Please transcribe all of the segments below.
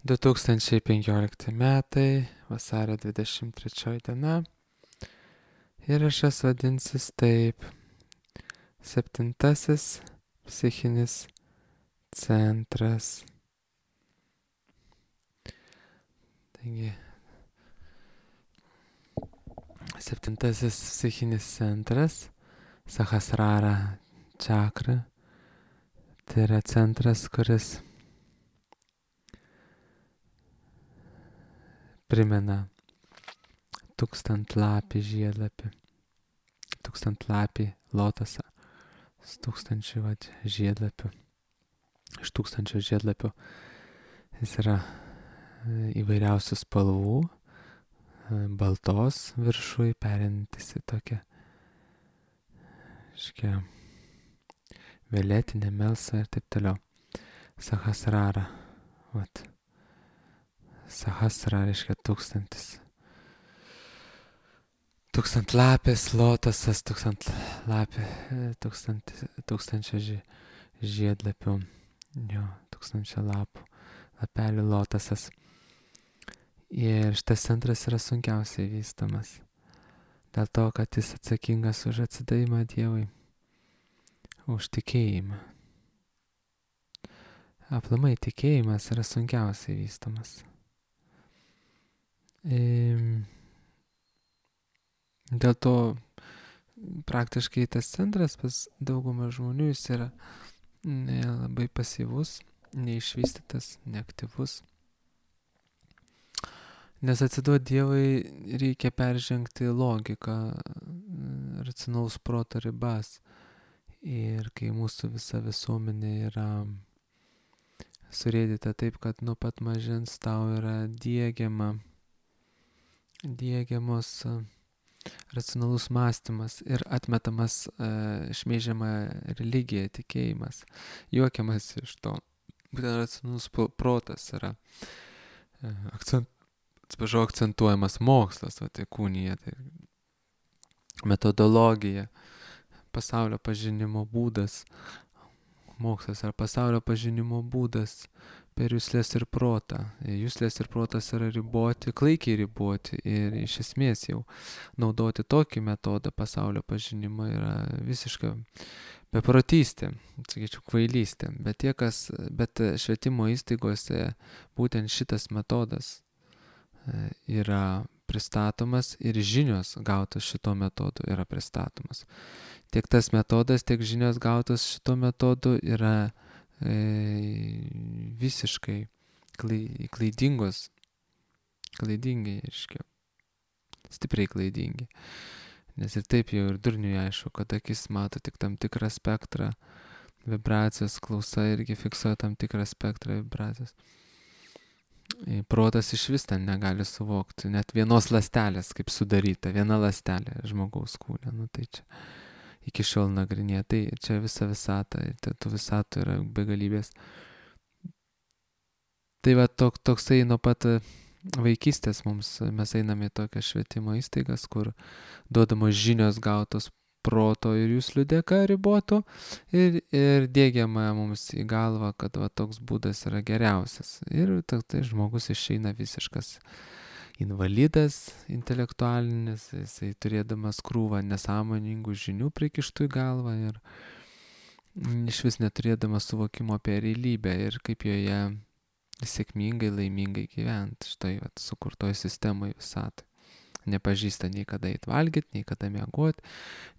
2015 metai, vasario 23 diena. Įrašas vadinsis taip: 7. psichinis centras. Taigi, 7. psichinis centras, Sahasrara čakra, tai yra centras, kuris primena tūkstantlapį žiedlapį, tūkstantlapį lotasą su 1000 žiedlapių. Iš 1000 žiedlapių jis yra įvairiausių spalvų, baltos viršui, perinantis į tokią violetinę, melsvą ir taip toliau. Sahasrara. Sahasra reiškia 1000. Tūkstantlapis lotasas, 1000 žiedlapių, 1000 lapų, lapelių lotasas. Ir šitas centras yra sunkiausiai vystomas, dėl to, kad jis atsakingas už atsidavimą Dievui, už tikėjimą. Aplamai tikėjimas yra sunkiausiai vystomas. Dėl to praktiškai tas centras pas daugumą žmonių jis yra labai pasyvus, neišvystytas, neaktyvus. Nes atsiduoti Dievui reikia peržengti logiką, racionalaus proto ribas. Ir kai mūsų visa visuomenė yra surėdyta taip, kad nuo pat mažens tau yra diegiamos racionalus mąstymas ir atmetamas šmeižiama religija, tikėjimas, juokiamas iš to. Būtent racionalus protas yra akcentuojamas mokslas, tai kūnija, tai metodologija, pasaulio pažinimo būdas. Mokslas ar pasaulio pažinimo būdas per juslės ir protą. Juslės ir protas yra riboti, klaikiai riboti, ir iš esmės jau naudoti tokį metodą pasaulio pažinimo yra visiška beprotystė, sakyčiau, kvailystė. Bet švietimo įstaigose būtent šitas metodas yra pristatomas ir žinios gautos šito metodu yra pristatomas. Tiek tas metodas, tiek žinios gautos šito metodu yra visiškai klaidingi, stipriai klaidingi. Nes ir taip jau ir durniui aišku, kad akis mato tik tam tikrą spektrą vibracijos, klausa irgi fiksuoja tam tikrą spektrą vibracijos. Protas iš vis ten negali suvokti, net vienos ląstelės, kaip sudaryta, viena ląstelė žmogaus kūne. Tai čia iki šiol nagrinėja. Tai čia visa visata, tų visatų yra begalybės. Tai va toksai nuo pat vaikystės mes einame į tokias švietimo įstaigas, kur duodamos žinios gautos proto ir jūslių dėka riboto ir dėgiama mums į galvą, kad va toks būdas yra geriausias. Ir tai žmogus išeina visiškas invalidas intelektualinis, jisai turėdamas krūvą nesąmoningų žinių prikištų į galvą ir iš vis neturėdamas suvokimo apie realybę ir kaip joje sėkmingai, laimingai gyventi štai sukurtoj sistemoje visatoj. Nepažįsta nei kada eit valgyti, nei kada miegoti,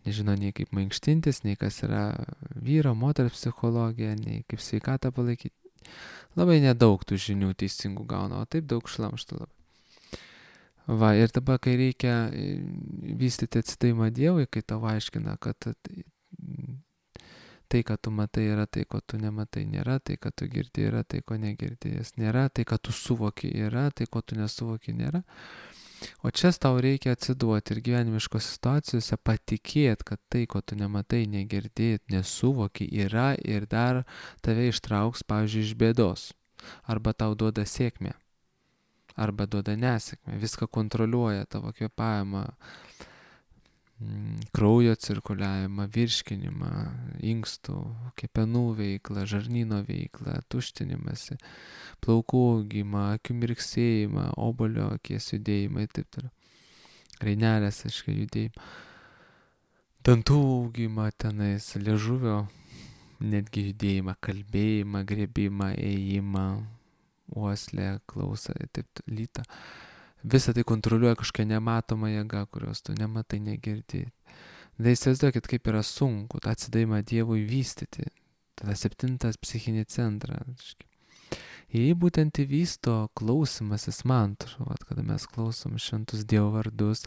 nežino nei kaip mankštintis, nei kas yra vyro, moters psichologija, nei kaip sveikatą palaikyti. Labai nedaug tų žinių teisingų gauna, o taip daug šlamšto labai. Ir dabar, kai reikia vystyti atsidavimą Dievui, kai tau aiškina, kad tai, kad tu matai, yra tai, ko tu nematai, nėra, tai, kad tu girdi, yra tai, ko negirdėjęs, nėra, tai, kad tu suvoki, yra, tai, ko tu nesuvoki, nėra. O čia tau reikia atsiduoti ir gyvenimiškos situacijose patikėti, kad tai, ko tu nematai, negirdėt, nesuvoki, yra ir dar tave ištrauks, pavyzdžiui, iš bėdos. Arba tau duoda sėkmę, arba duoda nesėkmę, viską kontroliuoja, tavo kvėpavimą, kraujo cirkuliavimą, virškinimą, inkstų, kepenų veiklą, žarnyno veiklą, tuštinimąsi, plaukų augimą, akių mirksėjimą, obuolio akies judėjimą ir taip toliau. Rainelės, aiškiai, judėjimą. Dantų augimą tenais, liežuvio netgi judėjimą, kalbėjimą, griebimą, ėjimą, uoslę, klausą, taip lytą. Visą tai kontroliuoja kažkokia nematoma jėga, kurios tu nematai, negirdi. Tai įsivaizduokit, kaip yra sunku tą atsidavimą Dievui vystyti. Tada 7 psichinį centrą. Jį būtent įvysto klausimasis mantrų, kada mes klausom šventus Dievo vardus,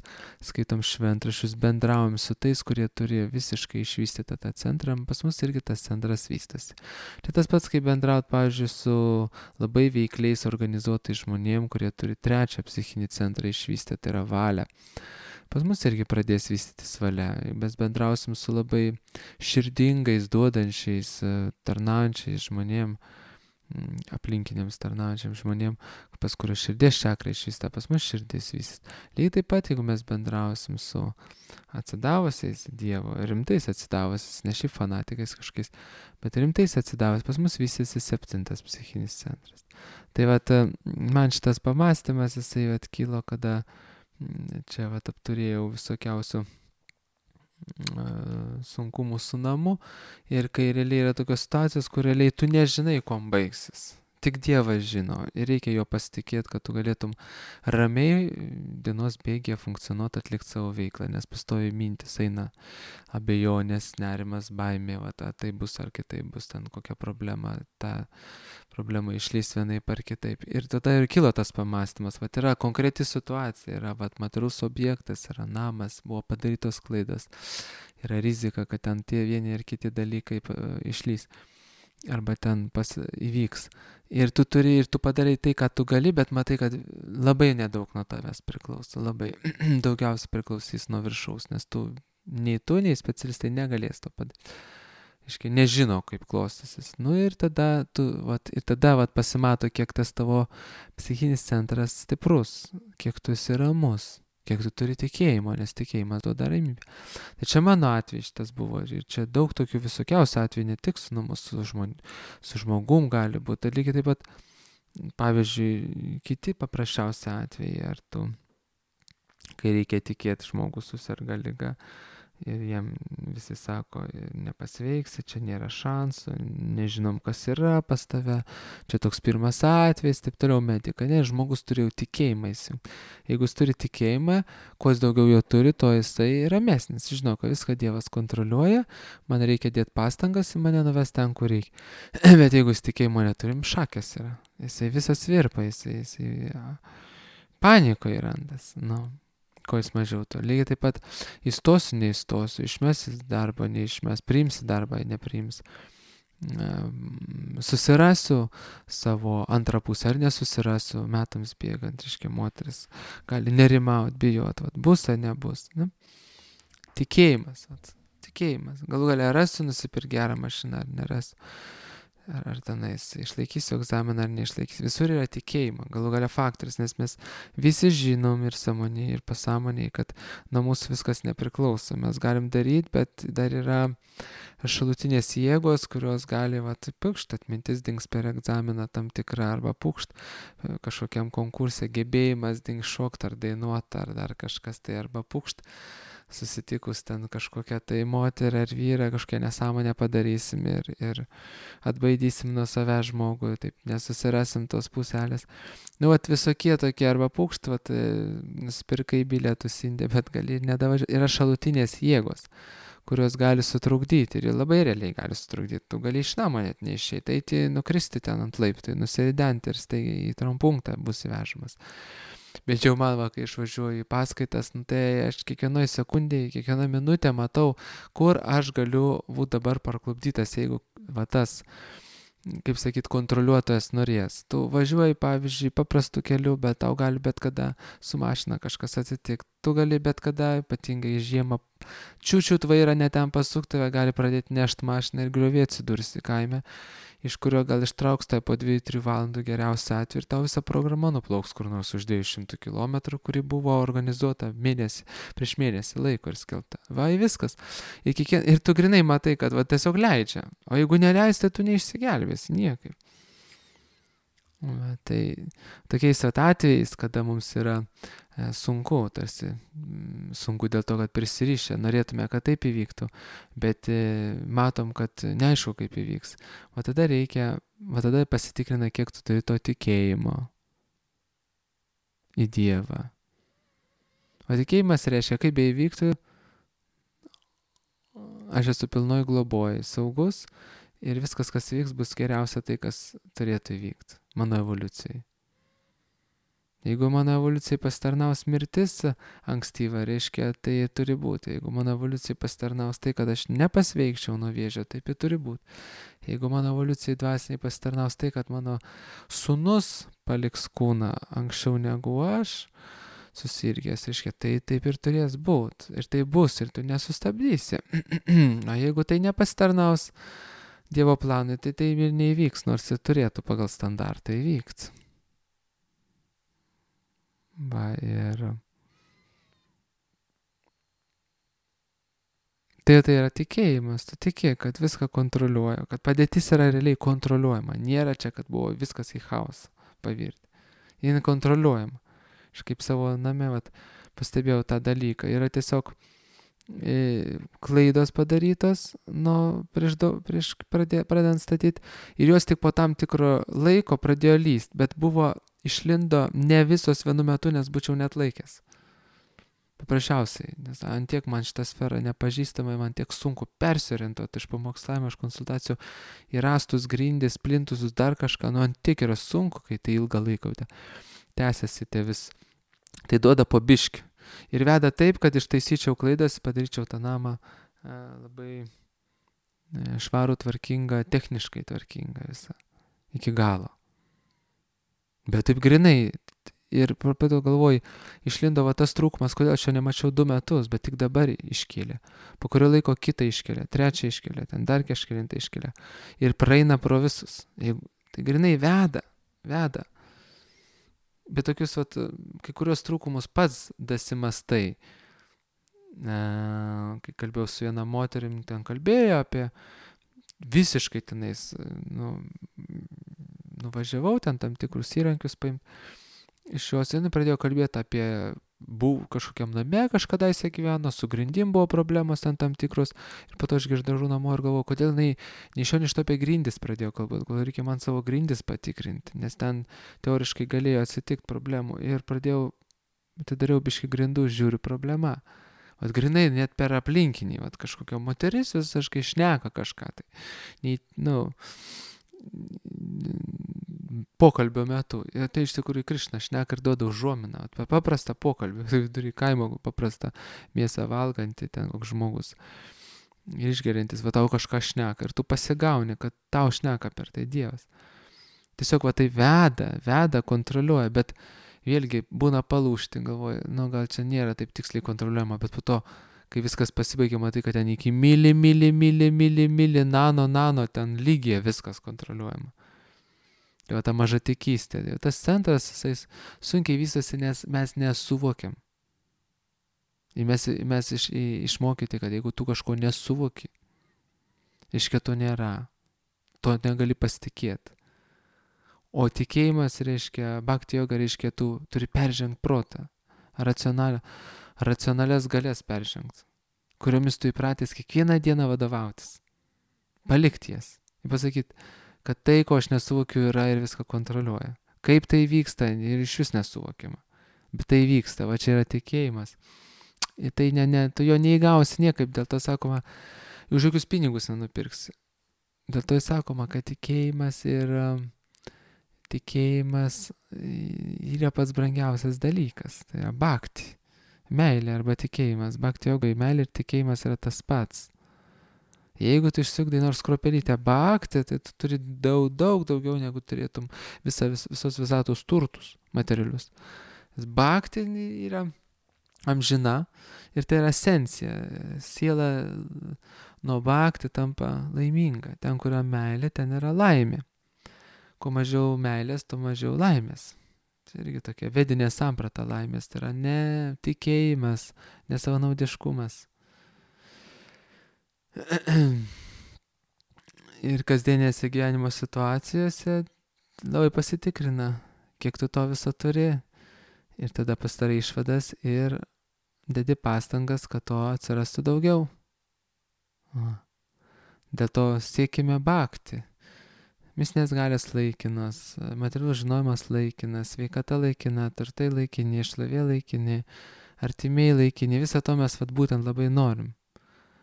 skaitom šventraščius, bendraujam su tais, kurie turi visiškai išvystytą tą centrą, pas mus irgi tas centras vystosi. Tai tas pats, kaip bendraut, pavyzdžiui, su labai veikliais organizuotais žmonėm, kurie turi 3 psichinį centrą išvystę, tai yra valia. Pas mus irgi pradės vystytis valia. Mes bendrausim su labai širdingais, duodančiais, tarnaujančiais žmonėm, aplinkiniams tarnaujančiams žmonėm, pas kurios širdies čakra išvysta, pas mus širdis vystytis. Lygiai taip pat, jeigu mes bendrausim su atsidavusiais Dievo, rimtais atsidavusiais, ne šiaip fanatikais kažkokiais, bet rimtais atsidavusiais, pas mus vystysi 7 psichinis centras. Tai vat, man šitas pamastymas, jisai kilo, kada čia apturėjau visokiausių sunkumų su namu ir kai realiai yra tokios situacijos, kur realiai tu nežinai, kuom baigsis. Tik Dievas žino ir reikia jo pasitikėti, kad tu galėtum ramiai dienos bėgėje funkcionuoti, atlikti savo veiklą, nes pastovi mintis eina abejonės, nerimas, baimė, tai bus ar kitaip bus ten kokia problema, ta problema išlys vienaip ar kitaip. Ir tada ir kilo tas pamastymas, yra konkreti situacija, yra materialus objektas, yra namas, buvo padarytos klaidos, yra rizika, kad ten tie vieni ir kiti dalykai išlys arba ten įvyks. Ir tu padarai tai, ką tu gali, bet matai, kad labai nedaug nuo tavęs priklauso, labai daugiausiai priklausys nuo viršaus, nes nei specialistai negalės to padaryti. Iškai nežino, kaip klostysis. Ir tada pasimato, kiek tas tavo psichinis centras stiprus, kiek tu esi ramus, kiek tu turi tikėjimo, nes tikėjimas duoda ramybę. Tai čia mano atveju šitas buvo ir čia daug tokių visokiausių atvejų, ne tik su namu, su žmogum gali būti. Tai lygiai taip pat, pavyzdžiui, kiti paprasčiausi atvejai, ar tu, kai reikia tikėti, žmogus susirga liga ir jam visi sako, nepasveiksi, čia nėra šansų, nežinom, kas yra pas tave, čia toks pirmas atvejis, taip toliau medika, ne, žmogus turi jau tikėjimą įsijungti. Jeigu jis turi tikėjimą, kuo jis daugiau jo turi, to jisai ramesnis, žinau, kad viską Dievas kontroliuoja, man reikia dėti pastangas ir mane nuves ten, kur reikia. Bet jeigu jis tikėjimo neturim, šakės yra, jisai visas virpa, jisai panikoje randas, ko jis mažiau to. Lygiai taip pat įstosiu, neįstosiu, išmesi darbą, neišmes, priimsi darbą, nepriimsi. Susirasiu savo antrą pusę ar nesusirasiu, metams bėgant, reiškia, moteris gali nerimauti, bijoti, bus ar nebus. Tikėjimas. Galų galia rasiu nusipirkti gerą mašiną ar nerasiu. Ar tenais išlaikysiu egzaminą ar neišlaikysiu. Visur yra tikėjimo, galų galia faktorius, nes mes visi žinom ir sąmoniai, ir pasąmoniai, kad nuo mūsų viskas nepriklauso. Mes galim daryti, bet dar yra šalutinės jėgos, kurios gali, atmintis dings per egzaminą tam tikrą, arba kažkokiam konkursė gebėjimas dings šokti ar dainuoti, ar dar kažkas tai, arba susitikus ten kažkokią tai moterį ar vyrą, kažkokią nesąmonę padarysim ir atbaidysim nuo savęs žmogų, taip nesusirasim tos puselės. Visokie tokie, arba nusipirkai bilietus Indė, bet gali ir nedavažiuoti. Yra šalutinės jėgos, kurios gali sutrukdyti ir labai realiai gali sutrukdyti. Tu gali iš namo net neišeiti, eiti, nukristi ten ant laiptų, nusiridenti ir staigiai į trampunktą bus įvežamas. Bet jau man, kai išvažiuoju į paskaitas, tai aš kiekvienoj sekundėje, kiekvieną minutę matau, kur aš galiu būti dabar parklupdytas, jeigu tas, kaip sakyt, kontroliuotojas norės. Tu važiuoji, pavyzdžiui, paprastu keliu, bet tau gali bet kada su mašina kažkas atsitikti. tu gali bet kada, ypatingai žiemą, čiūčiut vairą ne ten pasuk, tave gali pradėti nešti mašiną ir griovė atsidursi kaime, iš kurio gal ištrauks tai po 2-3 valandų geriausią atveju ir tau visa programa nuplauks kur nors už 200 km, kuri buvo organizuota prieš mėnesį laiko ir skelta. Va, viskas. Ir tu grinai matai, kad va, tiesiog leidžia. O jeigu neleis, tai tu neišsigelbėsi niekaip. Va, tai tokiais atvejais, kada mums yra sunku, tarsi sunku dėl to, kad prisirišę, norėtume, kad taip įvyktų, bet matom, kad neaišku, kaip įvyks. O tada pasitikrina, kiek tu turi to tikėjimo į Dievą. O tikėjimas reiškia, kaip beįvyktų, aš esu pilnoj globoj, saugus ir viskas, kas vyks, bus geriausia tai, kas turėtų įvykti mano evoliucijai. Jeigu mano evoliucijai pasitarnaus mirtis ankstyva, reiškia, tai turi būti. Jeigu mano evoliucijai pasitarnaus tai, kad aš nepasveikčiau nuo vėžio, taip ir turi būti. Jeigu mano evoliucijai dvasiniai pasitarnaus tai, kad mano sūnus paliks kūną anksčiau negu aš, susirgęs, reiškia, tai taip ir turės būti. Ir tai bus, ir tu nesustabdysi. O jeigu tai nepasitarnaus Dievo planui, tai ir neįvyks, nors ir turėtų pagal standartą įvykti. Va, ir tai yra tikėjimas, tu tiki, kad viską kontroliuoja, kad padėtis yra realiai kontroliuojama, nėra čia, kad buvo viskas į chaosą pavirti. Jis kontroliuojama. Aš kaip savo name pastebėjau tą dalyką, yra tiesiog klaidos padarytos prieš pradedant statyti ir jos tik po tam tikro laiko pradėjo lyst, bet išlindo ne visos vienu metu, nes būčiau net laikęs. Paprasčiausiai, nes antiek man šitą sferą nepažįstamai, man tiek sunku persiorientuoti iš pamokslavimo, iš konsultacijų į rastus, grindis, plintusus, dar kažką, antiek yra sunku, kai tai ilgą laiką tęsiasi tai duoda po biškį. Ir veda taip, kad ištaisyčiau klaidas, padaryčiau tą namą labai švarų, tvarkingą, techniškai tvarkingą visą, iki galo. Bet taip grinai, ir pradėjau galvoju, išlindo tas trūkumas, kodėl aš jo nemačiau 2 metus, bet tik dabar iškėlė. Po kurio laiko kitą iškėlė, trečią iškėlė, ten dar kažkelintą iškėlė. Ir praeina pro visus. Tai grinai veda. Bet tokius, kai kurios trūkumus pats dasimastai. Kai kalbėjau su viena moterim, ten kalbėjo apie visiškai tenais, nuvažiavau ten tam tikrus įrankius paimti. Iš jos jinai pradėjo kalbėti apie kažkokiam name kažkadaise gyveno, su grindim buvo problemos ten tam tikros. Ir po to aš grįždavau namo ir galvojau, kodėl jinai iš to apie grindis pradėjo kalbėti, kodėl reikia man savo grindis patikrinti, nes ten teoriškai galėjo atsitikti problemų. Ir dariau biškį grindų, žiūriu problema. Grinai net per aplinkinį, kažkokia moteris visiškai šneka kažką. Pokalbio metu. Ir tai iš tikrųjų Krišna šneka ir duoda užuominą. Paprastą pokalbį, vidury kaimo paprastą mėsą valgantį ten koks žmogus. Išgeriantis, tau kažką šneka. Ir tu pasigauni, kad tau šneka per tai Dievas. Tiesiog tai veda, kontroliuoja, bet vėlgi būna palūžti, galvoju, gal čia nėra taip tiksliai kontroliuojama, bet po to, kai viskas pasibaigia, matai, kad ten iki mili, nano, ten lygiai viskas kontroliuojama. Tai ta maža tikystė. Tas centras, jis sunkiai vystosi, nes mes nesuvokiam. Ir mes išmokyti, kad jeigu tu kažko nesuvoki, reiškia to nėra. To negali pasitikėti. O tikėjimas reiškia, bhakti yoga reiškia, tu turi peržengti protą. Racionalias galės peržengti, kuriomis tu įpratęs kiekvieną dieną vadovautis. Palikti jas. Ir pasakyti, kad tai, ko aš nesuvokiu, yra ir viską kontroliuoja. Kaip tai vyksta, ir iš vis nesuvokiama. Bet tai vyksta, čia yra tikėjimas. Ir tai tu jo neįgausi niekaip, dėl to sakoma, už jokius pinigus nenupirksi. Dėl to sakoma, kad tikėjimas yra pats brangiausias dalykas. Tai yra bhakti. Meilė arba tikėjimas. Bhakti yogai meilė ir tikėjimas yra tas pats. Jeigu tu išsiugdai nors kruopelytę bhakti, tai tu turi daug daugiau negu turėtum visos visatos turtus materialius. Bhakti yra amžina ir tai yra esencija. Siela nuo bhakti tampa laiminga. Ten, kur yra meilė, ten yra laimė. Kuo mažiau meilės, tuo mažiau laimės. Tai irgi tokia vedinė samprata laimės. Tai yra ne tikėjimas, ne savanaudiškumas. Ir kasdienėse gyvenimo situacijose labai pasitikrina, kiek tu to viso turi. Ir tada pasidarai išvadas ir dedi pastangas, kad to atsirastų daugiau. Dėl to siekime bhakti. Mistinės galios laikinos, materialus žinojimas laikinas, sveikata laikina, turtai laikini, šlovė laikini, artimiai laikini, visą to mes būtent labai norim.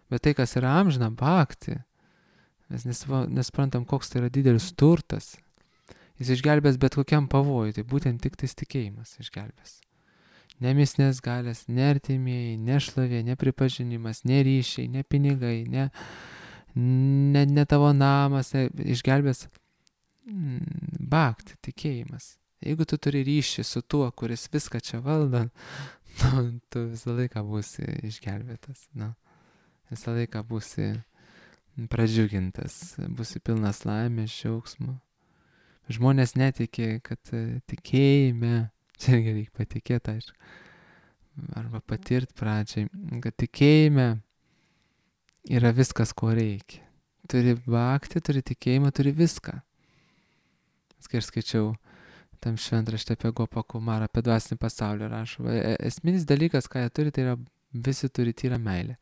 Bet tai, kas yra amžina, bhakti, mes nesprantam, koks tai yra didelis turtas. Jis išgelbės bet kokiam pavojui, tai būtent tik tais tikėjimas išgelbės. Ne mistinės galios, ne artimieji, ne šlovė, ne pripažinimas, ne ryšiai, ne pinigai, ne tavo namas, išgelbės bhakti, tikėjimas. Jeigu tu turi ryšį su tuo, kuris viską čia valdo, tu visą laiką būsi išgelbėtas. Visą laiką būsi pradžiugintas, būsi pilnas laimės, džiaugsmo. Žmonės netiki, kad tikėjime, čia irgi reikia patikėti, aišku, arba patirti pradžiai, kad tikėjime yra viskas, ko reikia. Turi bhakti, turi tikėjimą, turi viską. Kai aš skaičiau tam šventrašte apie Gopą Kumarą, apie dvasinį pasaulį rašo. Esminis dalykas, ką jie turi, tai yra visi turi tyrą meilę.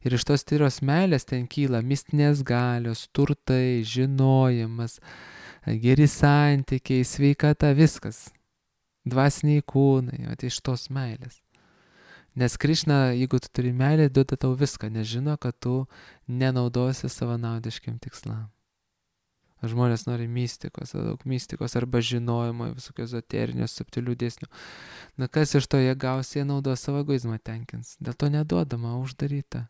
Ir iš tos tyros meilės ten kyla mistinės galios, turtai, žinojimas, geri santykiai, sveikata, viskas. Dvasiniai kūnai, iš tos meilės. Nes Krišna, jeigu tu turi meilę, duoda tau viską, nes žino, kad tu nenaudosi savanaudiškiam tikslam. Žmonės nori mistikos, daug mistikos arba žinojimo, visokių ezoterinių, subtilių dėsnių. Kas iš to jie gaus, jie naudos savo egoizmą tenkins. Dėl to neduodama, uždaryta.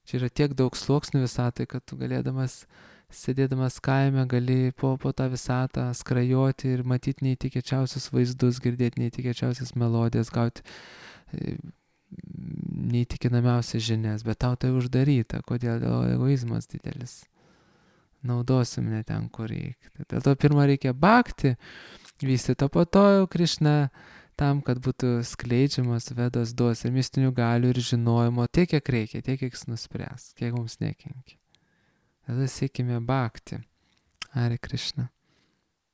Čia yra tiek daug sluoksnių visatai, kad tu galėdamas, sėdėdamas kaime, gali po tą visatą skrajoti ir matyti neįtikėčiausius vaizdus, girdėti neįtikėčiausias melodijas, gauti neįtikinamiausias žinias, bet tau tai uždaryta. Kodėl? Dėl egoizmas didelis. Naudosim ne ten, kur reikia. Dėl to pirmą reikia bhakti, vystyti, o po to jau Krišna tam, kad būtų skleidžiamas Vedos duos ir mistinių galių ir žinojimo tiek, kiek reikia, tiek, kiek jis nuspręs, kiek mums nekenkia. Tada siekime bhakti. Hare Krishna.